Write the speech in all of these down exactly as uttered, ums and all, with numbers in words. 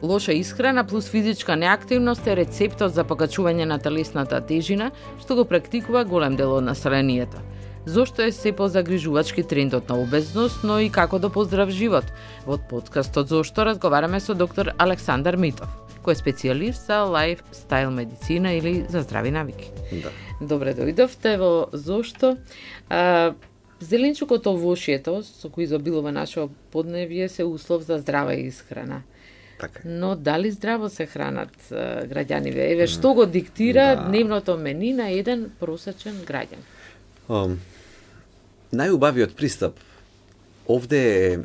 Лоша исхрана плюс физичка неактивност е рецептот за покачување на телесната тежина, што го практикува голем дел од населението. Зошто е се позагрижувачки трендот на обезност, но и како да поздрав живот? Во подкастот Зошто разговараме со доктор Александар Митов, кој е специјалист за лайфстайл медицина или за здрави навики. Да. Добре дојдовте во Зошто. А, зеленчукот овошјето, со кој изобилува нашето подневје, се услов за здрава исхрана. Така. Но дали здраво се хранат а, граѓаниве? Еве, што го диктира да. Дневното мени на еден просечен граѓан? Um, најубавиот пристап овде е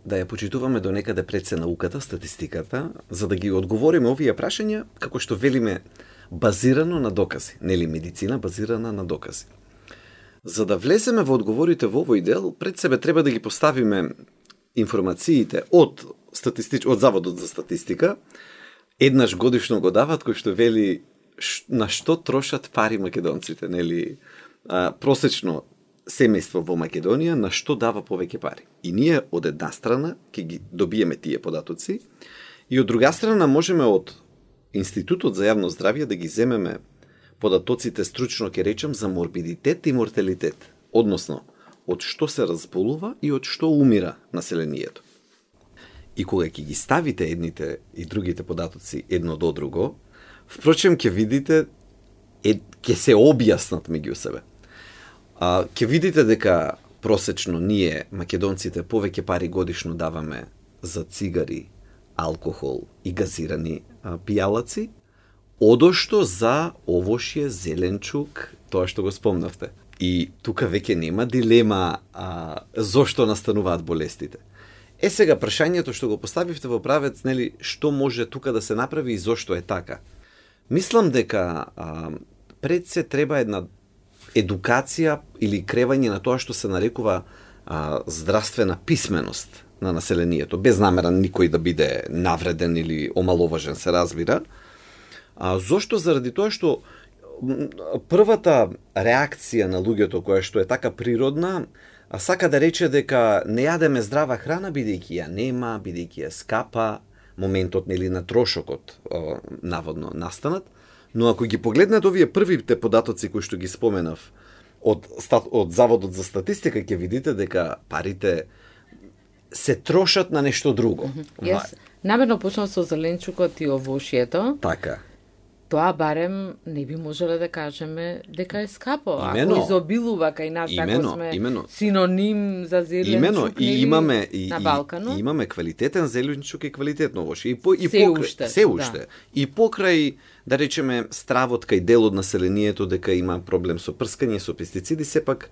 да ја почитуваме до некаде пред се науката, статистиката, за да ги одговориме овие прашања, како што велиме, базирано на докази, нели медицина базирана на докази. За да влеземе во одговорите во овој дел, пред себе треба да ги поставиме информациите од статистич... од Заводот за статистика, еднаш годишно го дават, кој што вели ш... на што трошат пари македонците, нели, а, просечно семејство во Македонија на што дава повеќе пари. И ние од една страна ќе ги добиеме тие податоци и од друга страна можеме од Институтот за јавно здравје да ги земеме податоците, стручно ќе речем, за морбидитет и морталитет, односно од што се разболува и од што умира населението. И кога ќе ги ставите едните и другите податоци едно до друго, впрочем ќе видите е, ќе се објаснат меѓу себе. А, ќе видите дека просечно ние, македонците, повеќе пари годишно даваме за цигари, алкохол и газирани а, пијалаци, одошто за овошје, зеленчук, тоа што го спомнавте. И тука веќе нема дилема а, зошто настануваат болестите. Е сега прашањето што го поставивте во правец, нели, што може тука да се направи и зошто е така. Мислам дека а, пред се треба една едукација или кревање на тоа што се нарекува а, здравствена писменост на населението, без намера никој да биде навреден или омаловажен, се разбира. А, зошто? Заради тоа што првата реакција на луѓето, која што е така природна, а сака да рече дека не јадеме здрава храна, бидејќи ја нема, бидејќи е скапа, моментот нели на трошокот о, наводно настанат. Но ако ги погледнете овие првите податоци кои што ги споменав од, од Заводот за статистика, ќе видите дека парите се трошат на нешто друго. Јас намерно почнав со зеленчукот и овошјето. Така. Тоа барем не би можеле да кажеме дека е скапо. Имено, ако изобилува кај нас, имено, ако сме имено. синоним за зеленчук, имено, и имаме и, на Балканот. И, и имаме квалитетен зеленчук и квалитетно овошје. И по и се покрај, уште, се уште. Да. И покрај, да речеме, стравот кај дел од населението дека има проблем со прскање со пестициди, сепак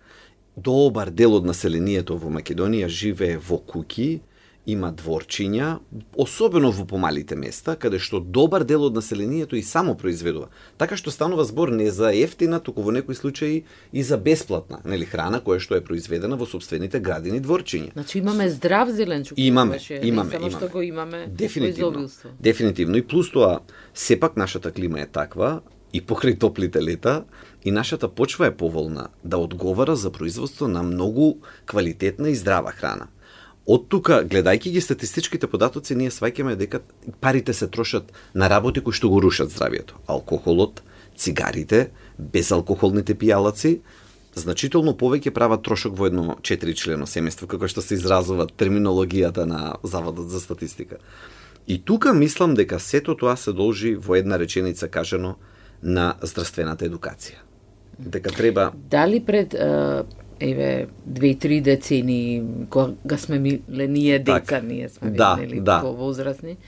добар дел од населението во Македонија живее во куќи, има дворчиња, особено во помалите места, каде што добар дел од населението и само произведува. Така што станува збор не за ефтина, туку во некои случаи и за бесплатна, нели, храна која што е произведена во собствените градини дворчиња. Значи имаме здрав зеленчук. Имаме, беше, имаме, само имаме. што го имаме Дефинитивно. Дефинитивно. И плюс тоа, сепак нашата клима е таква, и покрај топлите лета, и нашата почва е поволна да одговара за производство на многу квалитетна и здрава храна. Од тука, гледајќи ги статистичките податоци, ние сваќаме дека парите се трошат на работи кои што го рушат здравието. Алкохолот, цигарите, безалкохолните пијалаци, значително повеќе прават трошок во едно четиричлено семејство, како што се изразува терминологијата на Заводот за статистика. И тука мислам дека сето тоа се должи во една реченица кажано на здравствената едукација. Дека треба... Дали пред... еве две-три децени кога сме миле ние деца, так, ние сме да, нели да. повозрасни.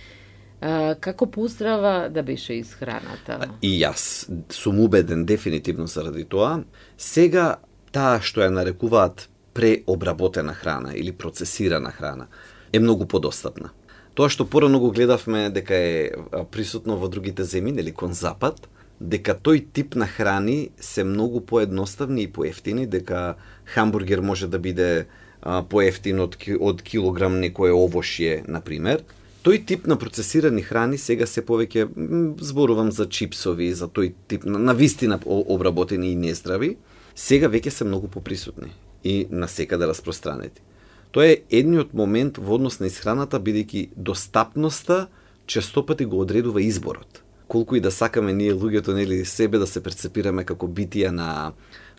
А, како поздрава да беше исхраната? И јас сум убеден дефинитивно заради тоа. Сега таа што ја нарекуваат преобработена храна или процесирана храна е многу подостапна. Тоа што порано го гледавме дека е присутно во другите земји, нели кон запад, дека тој тип на храни се многу поедноставни и поевтини, дека хамбургер може да биде а, поевтин од, од килограм некое овошје, например. Тој тип на процесирани храни сега се повеќе, зборувам за чипсови, за тој тип на, на вистина обработени и нездрави, сега веќе се многу поприсутни и насекаде распространети. Тоа е едниот момент во однос на исхраната, бидејќи достапноста често пати го одредува изборот. Колку и да сакаме ние луѓето, нели, себе да се перцепираме како битија на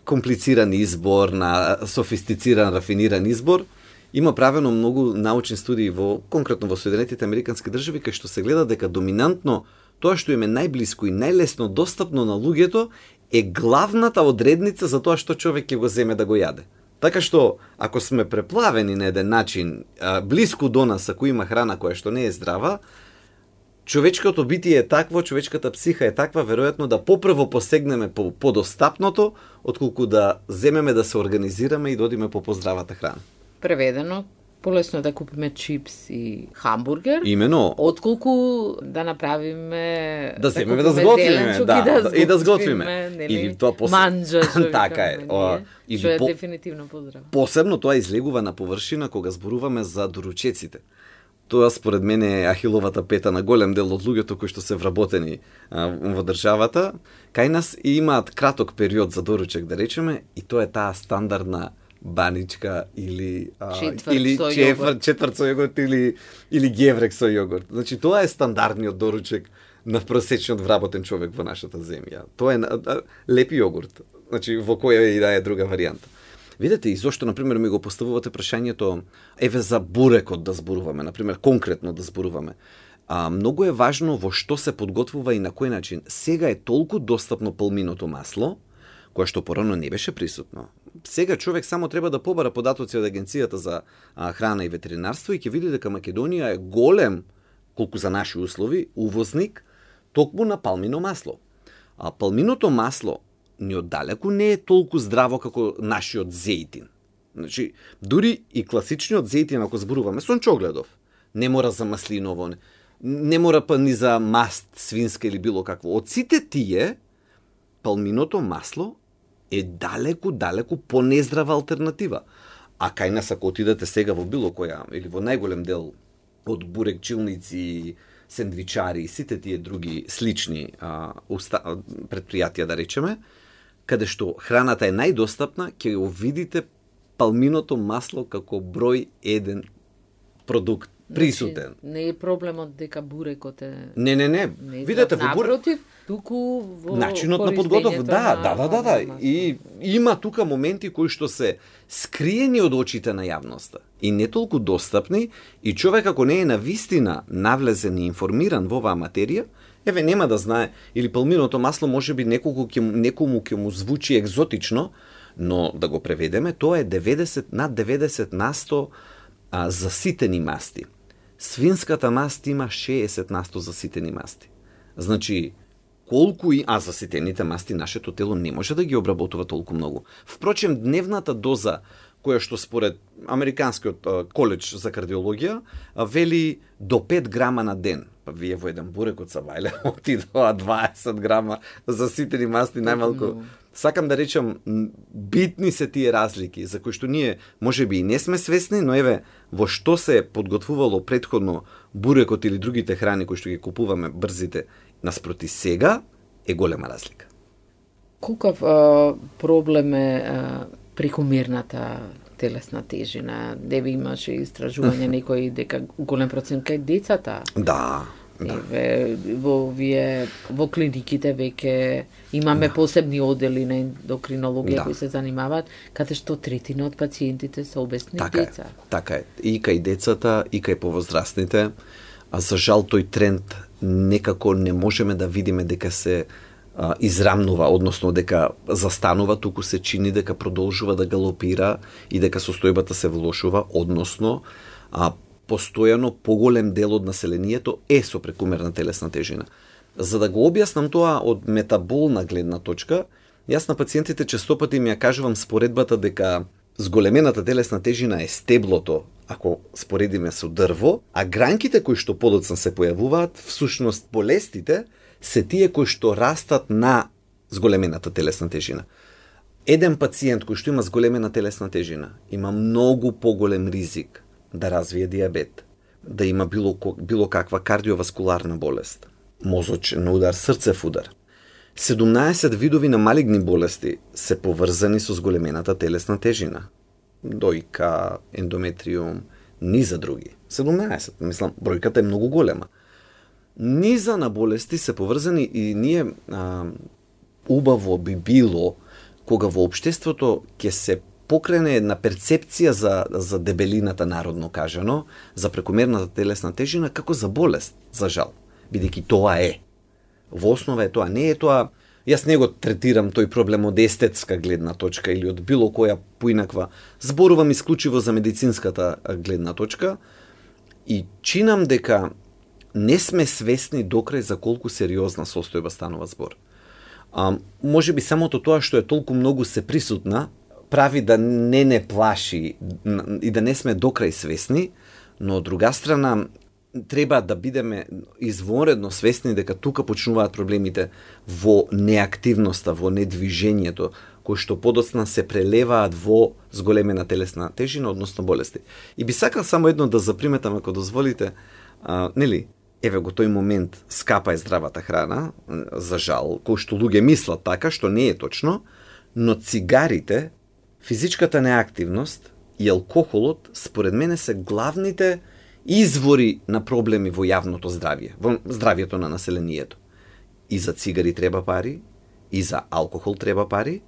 комплициран избор, на софистициран, рафиниран избор, има правено многу научни студии во конкретно во Соединетите Американски држави кај што се гледа дека доминантно тоа што им е најблиско и најлесно достапно на луѓето е главната одредница за тоа што човек ќе го земе да го јаде. Така што, ако сме преплавени на еден начин, блиску до нас, ако има храна која што не е здрава, човечкото битие е такво, човечката психа е таква, веројатно да попрво посегнеме по подостапното, отколку да земеме да се организираме и да одиме по поздравата храна. Преведено, полесно е да купиме чипс и хамбургер, имено, отколку да направиме да земеме да сготвиме, да, да, да, и да сготвиме. Или тоа пос... манџа, така е. Или што е по... дефинитивно поздраво. Посебно тоа излегува на површина кога зборуваме за доручеците. Тоа според мене е ахиловата пета на голем дел од луѓето кои што се вработени а, во државата. Кај нас имаат краток период за доручек, да речеме, и тоа е таа стандардна баничка или а, четврт или со четврт, четврт со јогурт или или геврек со јогурт. Значи тоа е стандардниот доручек на просечниот вработен човек во нашата земја. Тоа е а, леп јогурт. Значи во која и да е друга варијанта. Видете и зошто, например, ми го поставувате прашањето, еве за бурекот да зборуваме, например, конкретно да зборуваме. А, многу е важно во што се подготвува и на кој начин. Сега е толку достапно палминото масло, кое што порано не беше присутно. Сега човек само треба да побара податоци од Агенцијата за а, храна и ветеринарство и ќе види дека Македонија е голем, колку за наши услови, увозник токму на палмино масло. А палминото масло ни оддалеку не е толку здраво како нашиот зејтин. Значи, дури и класичниот зејтин, ако зборуваме, сончогледов, не мора за маслиново, не, не мора па ни за маст свинска или било какво. Од сите тие, палминото масло е далеку, далеку понездрава алтернатива. А кај нас, ако отидете сега во било која, или во најголем дел од бурекчилници, сендвичари и сите тие други слични а, уста, предпријатија, да речеме, каде што храната е најдостапна, ќе го видите палминото масло како број еден продукт присутен. Значи, не е проблемот дека бурекот е... Не, не, не. не Видете во бурек... Напротив, туку во начинот на подготов, да, да, да, да, да. И има тука моменти кои што се скриени од очите на јавноста и не толку достапни, и човек ако не е на вистина навлезен и информиран во оваа материја, еве нема да знае, или палминото масло можеби неколку ќе некому ќе му звучи екзотично, но да го преведеме, тоа е деветдесет над деветдесет на сто а, заситени масти. Свинската маст има шеесет на сто заситени масти. Значи, колку и а заситените масти нашето тело не може да ги обработува толку многу. Впрочем, дневната доза која што според Американскиот коледж за кардиологија вели до пет грама на ден. Па вие во еден бурек од Сабајле отидоа дваесет грама заситени масти најмалку. Сакам да речам, битни се тие разлики за кои што ние можеби и не сме свесни, но еве во што се подготвувало претходно бурекот или другите храни кои што ги купуваме брзите наспроти сега е голема разлика. Колкав а, проблем е а, прекомерната телесна тежина? Деби имаше истражување некои дека голем процент кај децата. Да. Да. Еве, во вие во клиниките веќе имаме да. посебни одели на ендокринологија да. кои се занимаваат, каде што третина од пациентите се обесни така деца. Е, така е. И кај децата, и кај повозрастните, а за жал тој тренд некако не можеме да видиме дека се а, израмнува, односно дека застанува, туку се чини дека продолжува да галопира и дека состојбата се влошува, односно а, постојано поголем дел од населението е со прекумерна телесна тежина. За да го објаснам тоа од метаболна гледна точка, јас на пациентите честопати ми ја кажувам споредбата дека зголемената телесна тежина е стеблото, ако споредиме со дрво, а гранките кои што подоцна се појавуваат, всушност болестите, се тие кои што растат на зголемената телесна тежина. Еден пациент кој што има зголемена телесна тежина има многу поголем ризик да развие диабет, да има било, било каква кардиоваскуларна болест, мозочен удар, срцев удар. седумнаесет видови на малигни болести се поврзани со зголемената телесна тежина. Дојка, ендометриум, низа други. седумнаесет, мислам, бројката е многу голема. Низа на болести се поврзани и ние а, убаво би било кога во општеството ќе се покрене една перцепција за, за дебелината, народно кажано, за прекомерната телесна тежина, како за болест, за жал. Бидејќи тоа е. Во основа е тоа. Не е тоа, јас не го третирам тој проблем од естетска гледна точка или од било која поинаква. Зборувам исклучиво за медицинската гледна точка и чинам дека не сме свесни докрај за колку сериозна состојба станува збор. А, може би самото тоа што е толку многу се присутна, прави да не не плаши и да не сме докрај свесни, но од друга страна треба да бидеме извонредно свесни дека тука почнуваат проблемите во неактивноста, во недвижењето, кои што подоцна се прелеваат во зголемена телесна тежина, односно болести. И би сакал само едно да заприметам, ако дозволите, а, нели, еве го тој момент скапа е здравата храна, за жал, кој што луѓе мислат така, што не е точно, но цигарите, физичката неактивност и алкохолот, според мене, се главните извори на проблеми во јавното здравје, во здравјето на населението. И за цигари треба пари, и за алкохол треба пари,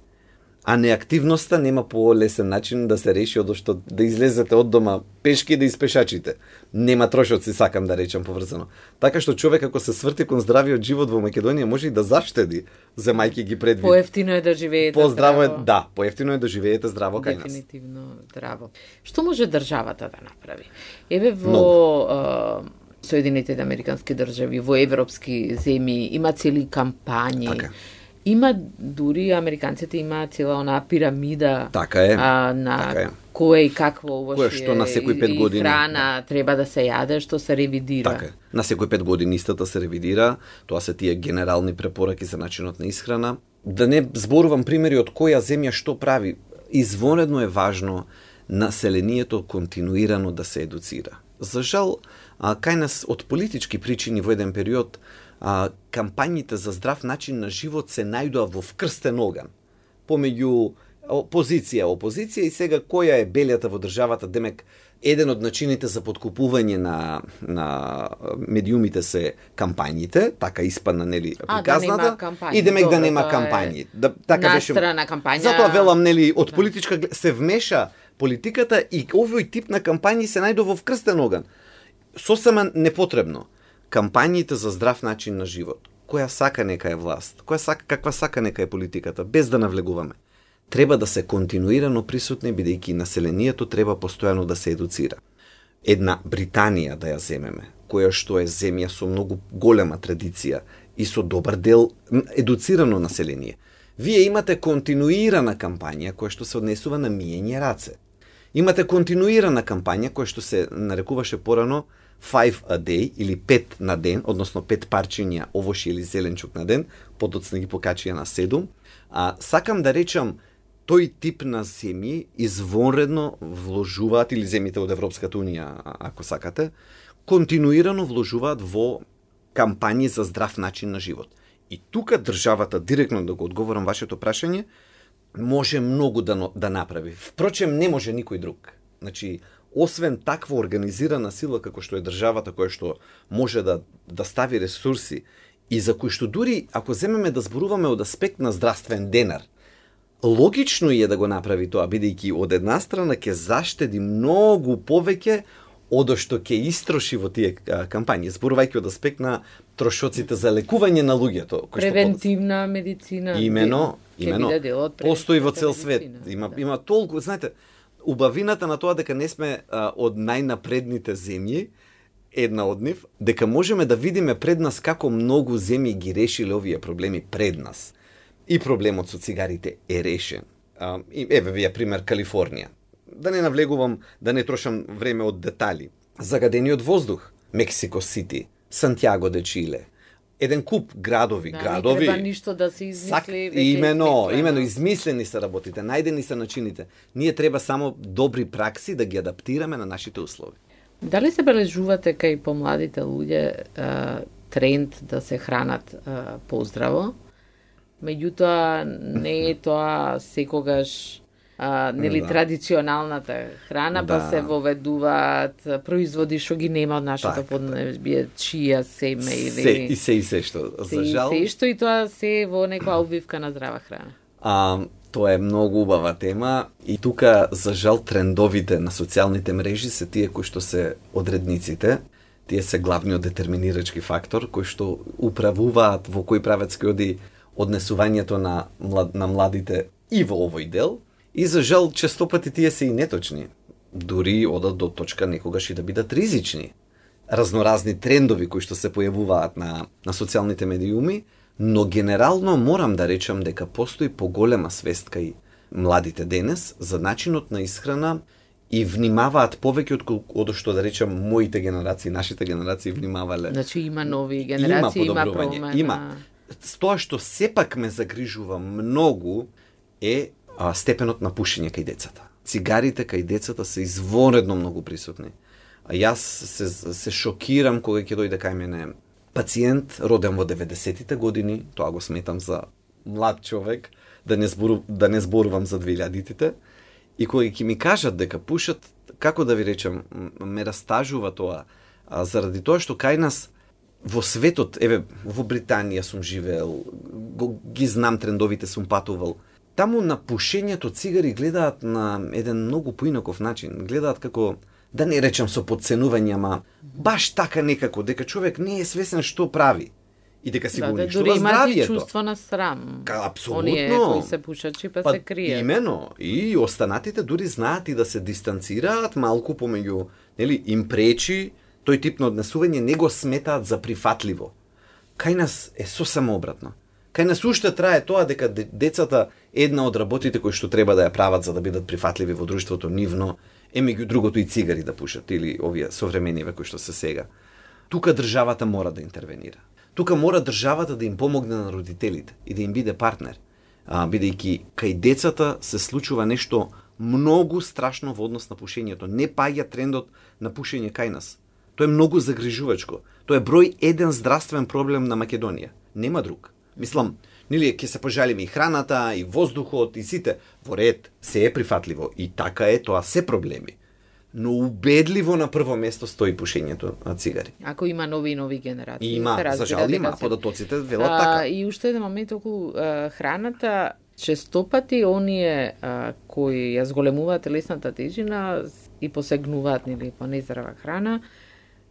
а неактивноста нема полесен начин да се реши од што да излезете од дома пешки да испешачите. Нема трошоци, сакам да речам поврзано. Така што човек ако се сврти кон здравиот живот во Македонија може и да заштеди, земајќи ги предвид. Поевтино е да живеете Поздраво здраво. Е, да, поевтино е да живеете здраво кај нас. Дефинитивно здраво. Што може државата да направи? Еве во а, Соединетите американски држави, во европски земји има цели кампањи. Така. Има дури американците има цела онаа пирамида Така е. А, на така е. кое и какво овошје што на секој пет години храна да. треба да се јаде, што се ревидира. Така е. На секој пет години истата се ревидира, тоа се тие генерални препораки за начинот на исхрана. Да не зборувам примери од која земја што прави. Извонредно е важно населението континуирано да се едуцира. За жал, а, кај нас од политички причини во еден период а, кампањите за здрав начин на живот се најдоа во вкрстен оган помеѓу позиција, опозиција и сега која е белјата во државата, демек еден од начините за подкупување на на медиумите се кампањите, така испадна нели приказната, да и демек Добре, да нема тоа кампањи. Е да така беше. Настрана кампања. Затоа велам нели од политичка се вмеша политиката и овој тип на кампањи се најдоа во вкрстен оган. Сосема непотребно. Кампањите за здрав начин на живот, која сака нека е власт, која сака, каква сака нека е политиката, без да навлегуваме, треба да се континуирано присутни, бидејќи населението треба постојано да се едуцира. Една Британија да ја земеме, која што е земја со многу голема традиција и со добар дел едуцирано население. Вие имате континуирана кампања која што се однесува на миење раце. Имате континуирана кампања која што се нарекуваше порано five a day или пет на ден, односно пет парчиња овошје или зеленчук на ден, подоцна ги покачија на седум. А сакам да речам, тој тип на земји извонредно вложуваат, или земјите од Европската унија, ако сакате, континуирано вложуваат во кампањи за здрав начин на живот. И тука државата, директно да го одговорам вашето прашање, може многу да, да направи. Впрочем, не може никој друг. Значи, освен таква организирана сила како што е државата, која што може да, да стави ресурси и за кои што дури, ако земеме да зборуваме од аспект на здравствен денар, логично е да го направи тоа, бидејќи од една страна ќе заштеди многу повеќе од што ќе истроши во тие кампањи, зборувајќи од аспект на трошоците за лекување на луѓето. Превентивна медицина. Имено, имено. Постои во цел медицина, свет. Има, да. има толку, знаете, убавината на тоа дека не сме а, од најнапредните земји, една од нив, дека можеме да видиме пред нас како многу земји ги решиле овие проблеми пред нас. И проблемот со цигарите е решен. А, и, еве вие пример Калифорнија. Да не навлегувам, да не трошам време од детали. Загадениот воздух, Мексико Сити, Сантјаго де Чиле, еден куп градови, да, градови. Не треба ништо да се измисли. Сак, имено, имено, измислени се работите, најдени се начините. Ние треба само добри пракси да ги адаптираме на нашите услови. Дали се бележувате кај помладите луѓе а, тренд да се хранат а, поздраво? Меѓутоа, не е тоа секогаш а, нели Да. традиционалната храна, па Да. се воведуваат производи што ги нема од нашето Така. поднебие, чија, семе Се, или и се и се што. се, За жал, се што и тоа се во некоја обвивка на здрава храна. а, тоа е многу убава тема и тука, за жал, трендовите на социјалните мрежи се тие кои што се одредниците. Тие се главниот детерминирачки фактор кои што управуваат во кој правец ќе оди однесувањето на, млад, на младите и во овој дел. И за жал, често пати тие се и неточни. Дури одат до точка некогаш и да бидат ризични. Разноразни трендови кои што се појавуваат на, на социјалните медиуми, но генерално морам да речам дека постои поголема свест кај младите денес за начинот на исхрана и внимаваат повеќе од, од што да речам моите генерации, нашите генерации внимавале. Значи има нови генерации, има, подобрување. промена. Има. Тоа што сепак ме загрижува многу е а, степенот на пушење кај децата. Цигарите кај децата се изворедно многу присутни. А јас се, се шокирам кога ќе дојде кај мене пациент роден во деветдесетите години, тоа го сметам за млад човек, да не, збору, да не зборувам за двилјадитите, и кога ќе ми кажат дека пушат, како да ви речем, ме растажува тоа, а, заради тоа што кај нас во светот, еве, во Британија сум живеел, го, ги знам трендовите, сум патувал. Таму на пушењето цигари гледаат на еден многу поинаков начин. Гледаат како, да не речам со подценување, ама баш така некако, дека човек не е свесен што прави. И дека си Да, го да, уништува дури имаат и здравието. чувство на срам. Ка, апсолутно. Оние кои се пушачи па, се кријат. Имено. И останатите дури знаат и да се дистанцираат малку помеѓу, нели, им пречи тој тип на однесување, не го сметаат за прифатливо. Кај нас е сосема обратно. Кај нас уште трае тоа дека децата, една од работите кои што треба да ја прават за да бидат прифатливи во друштвото нивно, е меѓу другото и цигари да пушат, или овие современиве кои што се сега. Тука државата мора да интервенира. Тука мора државата да им помогне на родителите и да им биде партнер. А, бидејќи кај децата се случува нешто многу страшно во однос на пушењето. Не паѓа трендот на пушење кај нас. Тоа е многу загрижувачко. Тоа е број еден здравствен проблем на Македонија. Нема друг. Мислам, нели ќе се пожалиме и храната, и воздухот, и сите. Во ред, се е прифатливо. И така е, тоа се проблеми. Но убедливо на прво место стои пушењето на цигари. Ако има нови и нови генерации. И има, се разбира за жал дека има, се- податоците велат А, така. И уште еден момент околу а, храната, честопати оние а, кои ја зголемуваат телесната тежина и посегнуваат нели по нездрава храна,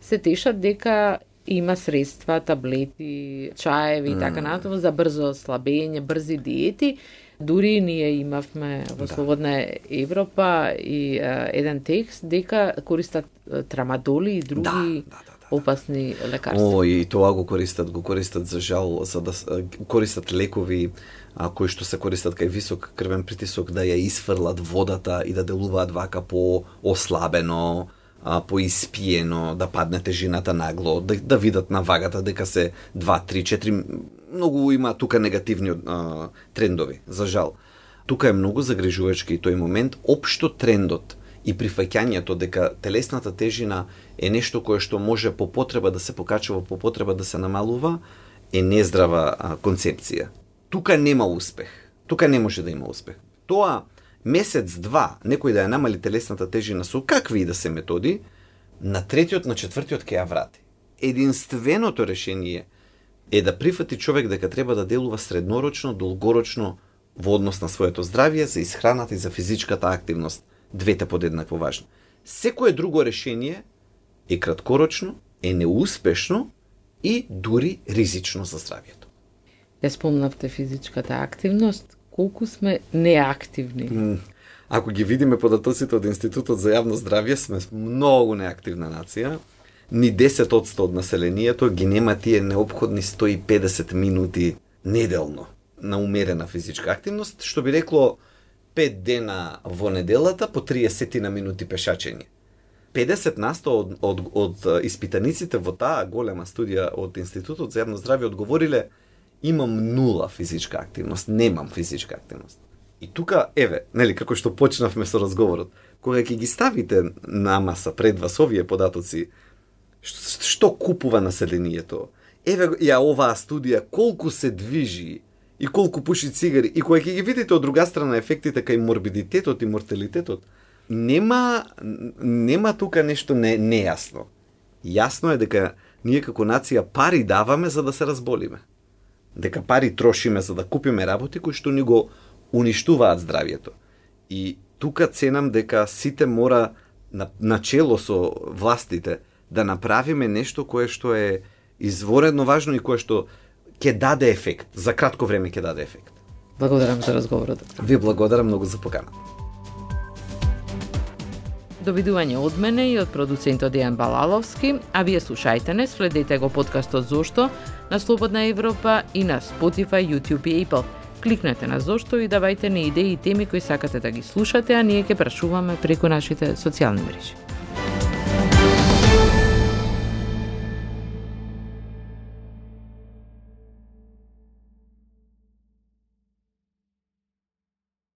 се тешат дека има средства, таблети, чаеви и така натаму за брзо слабење, брзи диети. Дури ние имавме во Да. Слободна Европа и а, еден текст дека користат а, трамадоли и други Да, да, да, да. опасни лекарства. О, и тоа го користат, го користат за жал, за да с- а, користат лекови а, кои што се користат кај висок крвен притисок, да ја isfрлат водата и да делуваат вака по ослабено, а, поиспиено, да падне тежината нагло, да, да видат на вагата дека се два, три, четири, многу има тука негативни а, трендови, за жал. Тука е многу загрижувачки тој момент, општо трендот и прифаќањето дека телесната тежина е нешто кое што може по потреба да се покачува, по потреба да се намалува, е нездрава а, концепција. Тука нема успех. Тука не може да има успех. Тоа месец-два некој да ја намали телесната тежина со какви и да се методи, на третиот, на четвртиот ќе ја врати. Единственото решение е да прифати човек дека треба да делува среднорочно, долгорочно во однос на своето здравје, за исхраната и за физичката активност. Двете подеднакво важни. Секое друго решение е краткорочно, е неуспешно и дури ризично за здравјето. Ја спомнавте физичката активност, колку сме неактивни. М, Ако ги видиме податоците од Институтот за јавно здравје, сме многу неактивна нација. Ни десет одсто од населението ги нема тие неопходни сто и педесет минути неделно на умерена физичка активност, што би рекло пет дена во неделата по триесет на минути пешачење. педесет на сто од, од, од испитаниците во таа голема студија од Институтот за јавно здравје одговориле: имам нула физичка активност, немам физичка активност. И тука, еве, нели, како што почнавме со разговорот, кога ќе ги ставите на маса пред вас овие податоци, ш- што купува населението, еве ја оваа студија, колку се движи и колку пуши цигари, и кога ќе ги видите од друга страна ефектите кај морбидитетот и морталитетот, нема нема тука нешто не нејасно. Јасно е дека ние како нација пари даваме за да се разболиме. Дека пари трошиме за да купиме работи кои што ни го уништуваат здравието. И тука ценам дека сите мора на, начело со властите да направиме нешто кое што е изворедно важно и кое што ќе даде ефект, за кратко време ќе даде ефект. Благодарам за разговорот, доктор. Ви благодарам многу за поканата. Довидување од мене и од продуцентот Дејан Балаловски, а вие слушајте не, следете го подкастот Зошто на Слободна Европа и на Spotify, YouTube и Apple. Кликнете на Зошто и давајте ни идеи и теми кои сакате да ги слушате, а ние ќе прашуваме преку нашите социјални мрежи.